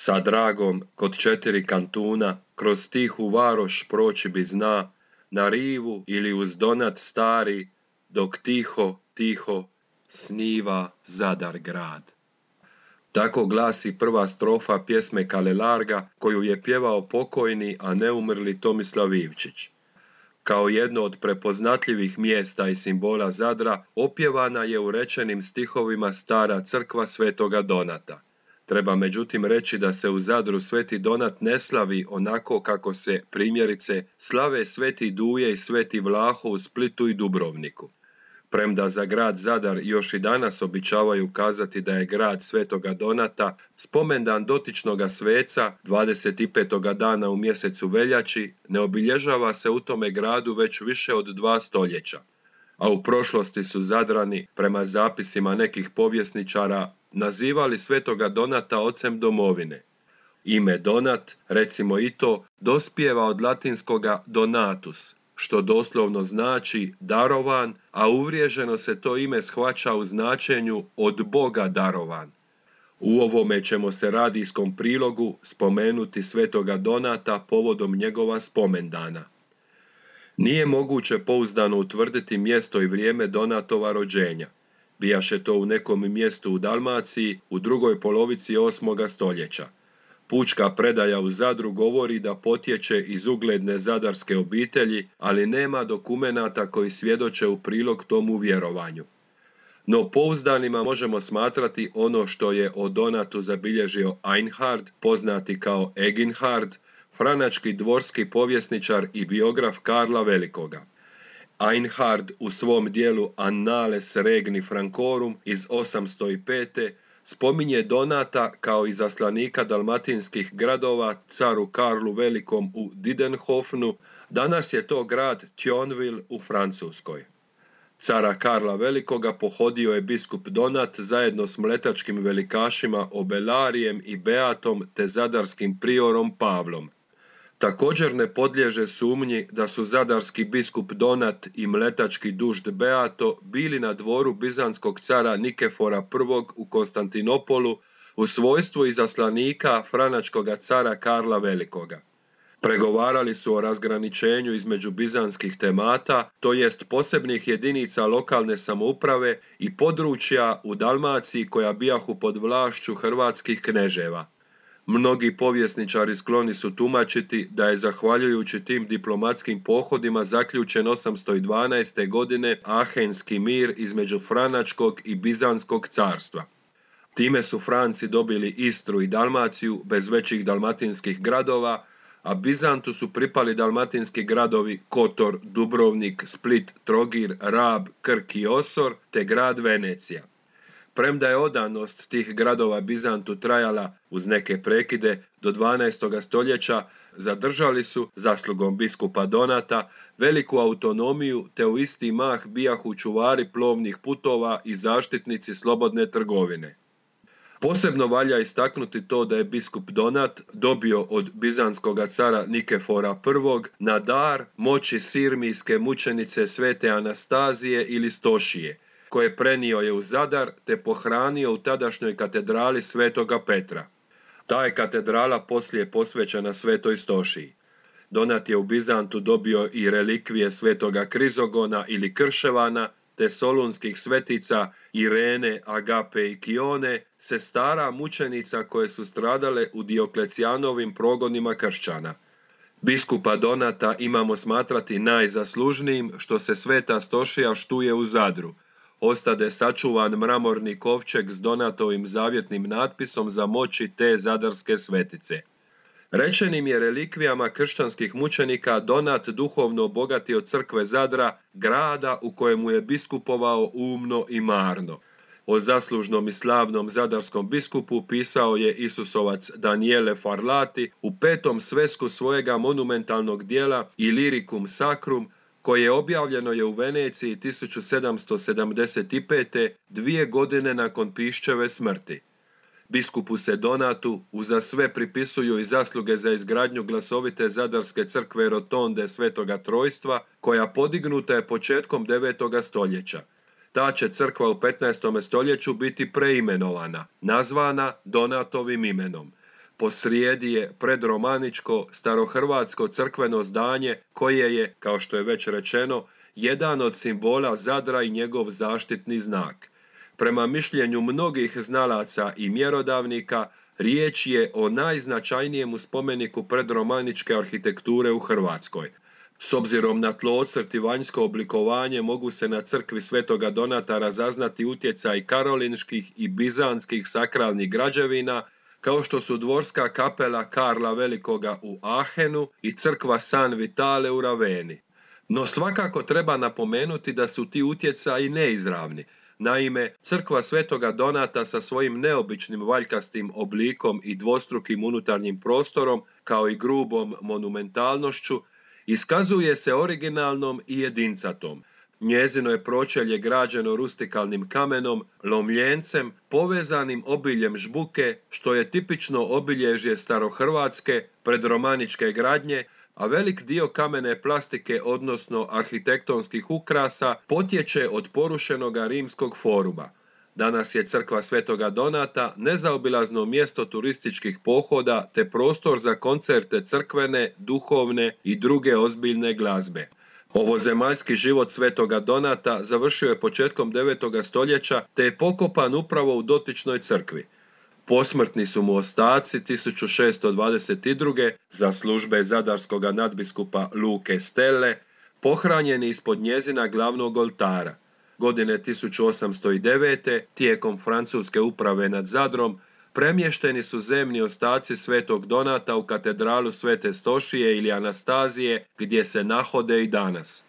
Sa dragom kod 4 kantuna, kroz tihu varoš proći bi zna, na rivu ili uz Donat stari, dok tiho, tiho sniva Zadar grad. Tako glasi prva strofa pjesme Kalelarga koju je pjevao pokojni, a neumrli Tomislav Ivčić. Kao jedno od prepoznatljivih mjesta i simbola Zadra opjevana je u rečenim stihovima stara crkva Svetoga Donata. Treba međutim reći da se u Zadru Sveti Donat ne slavi onako kako se, primjerice, slave Sveti Duje i Sveti Vlaho u Splitu i Dubrovniku. Premda za grad Zadar još i danas običavaju kazati da je grad Svetoga Donata, spomendan dotičnoga sveca 25. dana u mjesecu veljači ne obilježava se u tome gradu već više od 2 stoljeća. A u prošlosti su Zadrani, prema zapisima nekih povjesničara, nazivali Svetoga Donata ocem domovine. Ime Donat, recimo i to, dospijeva od latinskoga donatus, što doslovno znači darovan, a uvriježeno se to ime shvaća u značenju od Boga darovan. U ovome ćemo se radijskom prilogu spomenuti Svetoga Donata povodom njegova spomendana. Nije moguće pouzdano utvrditi mjesto i vrijeme Donatova rođenja. Bijaše to u nekom mjestu u Dalmaciji u drugoj polovici 8. stoljeća. Pučka predaja u Zadru govori da potječe iz ugledne zadarske obitelji, ali nema dokumenata koji svjedoče u prilog tomu vjerovanju. No pouzdanima možemo smatrati ono što je o Donatu zabilježio Einhard, poznati kao Eginhard, franački dvorski povjesničar i biograf Karla Velikoga. Einhard u svom dijelu Annales Regni Francorum iz 805. spominje Donata kao izaslanika dalmatinskih gradova caru Karlu Velikom u Didenhofnu, danas je to grad Thionville u Francuskoj. Cara Karla Velikoga pohodio je biskup Donat zajedno s mletačkim velikašima Obelarijem i Beatom te zadarskim priorom Pavlom. Također ne podliježe sumnji da su zadarski biskup Donat i mletački dužd Beato bili na dvoru bizanskog cara Nikefora I u Konstantinopolu u svojstvu izaslanika franačkoga cara Karla Velikoga. Pregovarali su o razgraničenju između bizanskih temata, to jest posebnih jedinica lokalne samouprave i područja u Dalmaciji koja bijahu pod vlašću hrvatskih kneževa. Mnogi povjesničari skloni su tumačiti da je zahvaljujući tim diplomatskim pohodima zaključen 812. godine Ahenski mir između Franačkog i Bizanskog carstva. Time su Franci dobili Istru i Dalmaciju bez većih dalmatinskih gradova, a Bizantu su pripali dalmatinski gradovi Kotor, Dubrovnik, Split, Trogir, Rab, Krk i Osor te grad Venecija. Premda je odanost tih gradova Bizantu trajala, uz neke prekide, do 12. stoljeća, zadržali su, zaslugom biskupa Donata, veliku autonomiju te u isti mah bijahu čuvari plovnih putova i zaštitnici slobodne trgovine. Posebno valja istaknuti to da je biskup Donat dobio od bizanskog cara Nikefora I na dar moći sirmijske mučenice Svete Anastazije ili Stošije, koje prenio je u Zadar te pohranio u tadašnjoj katedrali Svetoga Petra. Ta je katedrala poslije posvećena Svetoj Stošiji. Donat je u Bizantu dobio i relikvije Svetoga Krizogona ili Krševana, te solunskih svetica Irene, Agape i Kione, sestara mučenica koje su stradale u Dioklecijanovim progonima kršćana. Biskupa Donata imamo smatrati najzaslužnijim što se Sveta Stošija štuje u Zadru. Ostade sačuvan mramorni kovčeg s Donatovim zavjetnim natpisom za moći te zadarske svetice. Rečenim je relikvijama kršćanskih mučenika Donat duhovno obogatio crkve Zadra, grada u kojemu je biskupovao umno i marno. O zaslužnom i slavnom zadarskom biskupu pisao je Isusovac Daniele Farlati u 5. svesku svojega monumentalnog dijela Illyricum Sacrum, koje objavljeno je u Veneciji 1775. 2 godine nakon Piščeve smrti. Biskupu se Donatu uza sve pripisuju i zasluge za izgradnju glasovite zadarske crkve Rotonde Svetoga Trojstva, koja podignuta je početkom 9. stoljeća. Ta će crkva u 15. stoljeću biti preimenovana, nazvana Donatovim imenom. posrijedi je predromaničko starohrvatsko crkveno zdanje koje je, kao što je već rečeno, jedan od simbola Zadra i njegov zaštitni znak. Prema mišljenju mnogih znalaca i mjerodavnika, riječ je o najznačajnijem spomeniku predromaničke arhitekture u Hrvatskoj. S obzirom na tlocrt i vanjsko oblikovanje mogu se na crkvi Svetoga Donata razaznati utjecaj karolinških i bizanskih sakralnih građevina, kao što su dvorska kapela Karla Velikoga u Aachenu i crkva San Vitale u Raveni. No svakako treba napomenuti da su ti utjecaji neizravni. Naime, crkva Svetoga Donata sa svojim neobičnim valjkastim oblikom i dvostrukim unutarnjim prostorom, kao i grubom monumentalnošću, iskazuje se originalnom i jedincatom. Njezino je pročelje građeno rustikalnim kamenom, lomljencem, povezanim obiljem žbuke, što je tipično obilježje starohrvatske predromaničke gradnje, a velik dio kamene plastike, odnosno arhitektonskih ukrasa, potječe od porušenoga rimskog foruma. Danas je crkva Svetoga Donata nezaobilazno mjesto turističkih pohoda te prostor za koncerte crkvene, duhovne i druge ozbiljne glazbe. Ovozemaljski život Svetoga Donata završio je početkom 9. stoljeća te je pokopan upravo u dotičnoj crkvi. Posmrtni su mu ostaci 1622. za službe zadarskoga nadbiskupa Luke Stelle pohranjeni ispod njezina glavnog oltara. Godine 1809. tijekom francuske uprave nad Zadrom premješteni su zemni ostaci Svetog Donata u katedralu Svete Stošije ili Anastazije, gdje se nahode i danas.